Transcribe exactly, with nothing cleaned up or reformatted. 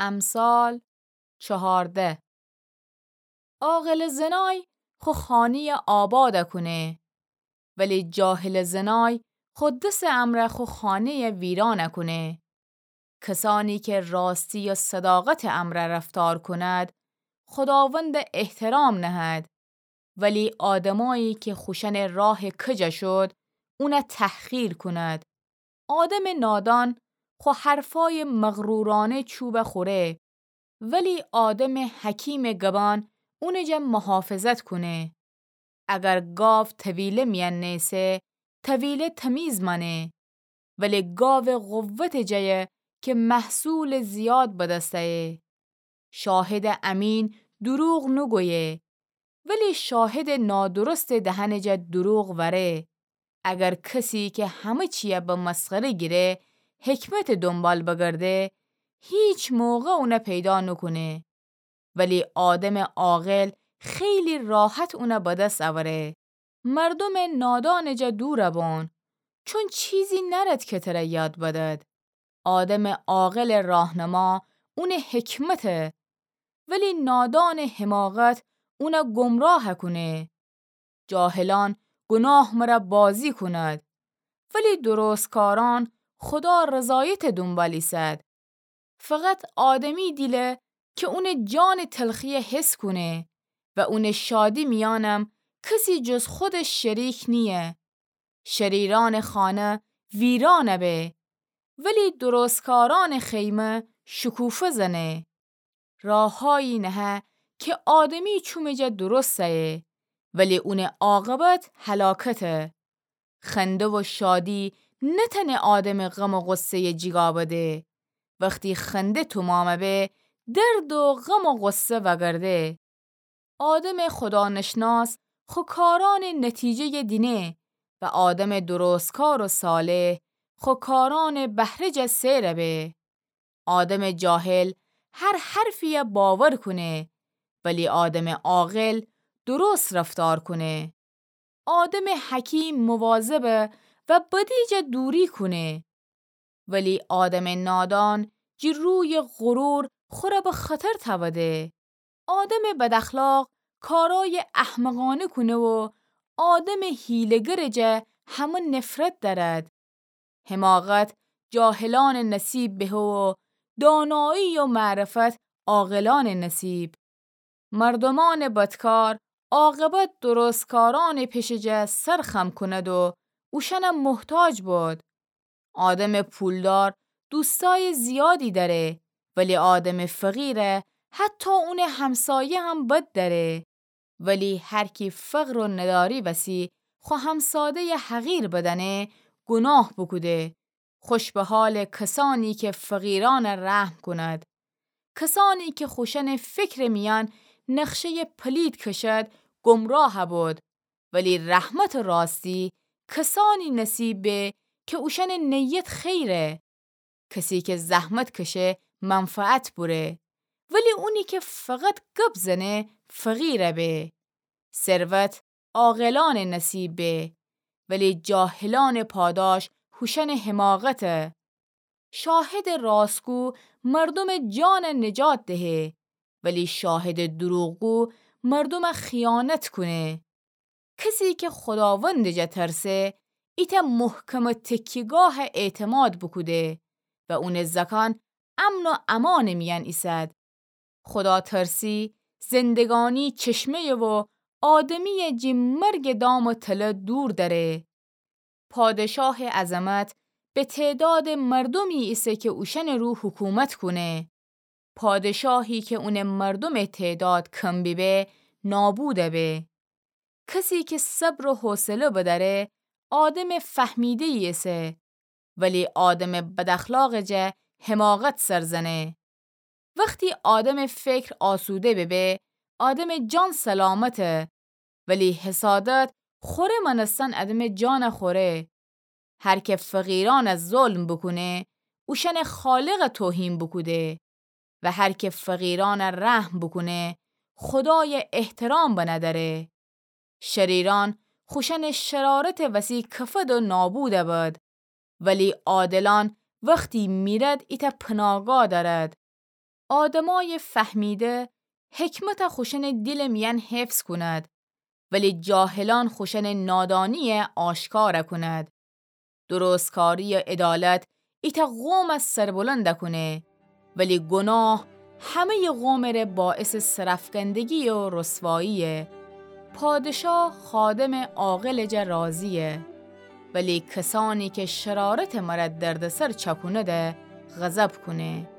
امثال چهارده. عاقلٚ زنای خو خانه‌یَ آبادَ کونه، ولی جاهلٚ زنای خو دسٚ امرأ خو خانه‌یَ ویرانَ کونه. کسانی که راستی و صداقتٚ امرأ رفتار کند، خوداوندَ احترام نهد، ولی آدمایی که خوشأنٚ راه کجَ شد، اونَ تحقیر کند. آدمٚ نادان خو حرفای مغرورانه چوبَ خوره، ولی آدمٚ حکیمٚ گبان اونٚ جا محافظت کونه. اگر گاو طویله میأن نیسه، طویله تمیز مأنه، ولی گاو قوتٚ جایه که محصولٚ زیاد به دست ایه. شاهدٚ امین دروغ نوگویه، ولی شاهدٚ نادرستٚ دهنٚ جا دروغ وأره. اگر کسی که همه چیَ به مسخره گیره، حکمتٚ دنبال بگرده، هیچ موقع اونَ پیدا نوکونه. ولی آدمٚ عاقل خیلی راحت اونَ به دس اوره. مردمٚ نادانٚ جا دورَ بون، چون چیزی نأرد که تره یاد بدد. آدمٚ عاقلٚ راهنما اونٚ حکمته، ولی نادانٚ حماقت اونَ گمراه کونه. جاهلان گناه مرا بازی کند، ولی درستکاران خودا رضایتٚ دنبال ایسد. فقط آدمی دیله که اونٚ جانٚ تلخیَ حس کونه و اونٚ شادی میأنم کسی جز خودش شریک نییه. شریرانٚ خانه ویرانَ به، ولی درستکارانٚ خیمه شکوفه زنه. راهایی نهه که آدمی چومٚ جا درست ایه، ولی اونٚ عاقبت هلاکته. خنده و شادی نتأنه آدمٚ غم و غصه‌یَ جیگا بده. وختی خنده تومامَ به، درد و غم و غصه وأگرده. آدمٚ خودانشناس خو کارانٚ نتیجه‌یَ دینه و آدمٚ درستکار و صالح خو کارانٚ بهره‌یَ سئرَ به. آدمٚ جاهل هر حرفیَ باور کونه، ولی آدمٚ عاقل درست رفتار کونه. آدمٚ حکیم مواظبه و بدی جا دوری کونه، ولی آدمٚ نادان جی روی غرور خوره به خطر تأوده. آدمٚ بداخلاق کارای احمقانه کونه و آدمٚ حیله‌گرٚ جا همه نفرت دأرد. حماقت جاهلانٚ نصیب بهه و دانایی و معرفت عاقلانٚ نصیب. مردومأنٚ بدکار عاقبت درستکارأنٚ پشٚ جا سر خم کند و اوشأنٚ محتاج بود. آدمٚ پولدار دوستأیٚ زیادی دأره، ولی آدمٚ فقیره حتی اونٚ همسایه هم بد دأره. ولی هر کی فقر و نداری وسی خو همساده‌یٚ حقیر بدأنه، گناه بوکوده. خوش به حالٚ کسأنی که فقیرأنٚ رحم کند. کسأنی که خوشأنٚ فکرٚ میأن نقشه‌یٚ پلید کشد، گمراه بود. ولی رحمت و راستی کسأنی نصیب به که اوشأنٚ نیت خیره. کسی که زحمت کشه منفعت بوره، ولی اونی که فقط گب زنه فقیر به. ثروت عاقلأنٚ نصیب به، ولی جاهلأنٚ پاداش هوشأنٚ حماقته. شاهدٚ راستگو مردومٚ جانٚ نجات دهه، ولی شاهدٚ دروغگو مردومٚ خیانت کونه. کسی که خوداوندٚ جا ترسه، ایتأ محکمٚ تکیه‌گاه اعتماد بوکوده و اونٚ زأکأن امن و امانٚ میأن ایسد. خوداترسی زندگانی چشمه‌یه و آدمی‌یه جی مرگٚ دام و تله دور دأره. پادشاهٚ عظمت به تعدادٚ مردومی ایسه که اوشأنٚ رو حکومت کونه. پادشاهی که اونٚ مردومٚ تعداد کم بیبه، نابود به. کسی که صبر و حوصله بدأره، آدمٚ فهمیده‌یی ایسه، ولی آدمٚ بداخلاقٚ جا حماقت سر زنه. وختی آدمٚ فکر آسوده ببه، آدمٚ جان سلامته، ولی حسادت خوره مأنستن آدمٚ جان خوره. هر که فقیرأن ظلم بوکونه، اوشأنٚ خالق توهین بوکوده و هر که فقیرأن رحم بوکونه، خودای احترام بندأره. شریرأن خوشأنٚ شرارتٚ وسی کفد و نابود بد، ولی عادلأن وختی میرد ایتأ پناهگاه دأرد. آدمأیٚ فهمیده حکمت خوشأنٚ دیلٚ میأن حفظ کند، ولی جاهلأن خوشأنٚ نادانیی آشکار کند. درستکاری و عدالت ایتأ قوم سربلند کونه، ولی گناه همه‌یٚ قومٚ ره باعثٚ سرأفکندگی و رسواییه. پادشاه خادمٚ عاقلٚ جا راضییه، ولی کسأنی که شرارتٚ مرأ دردسر چأکونده غضب کونه.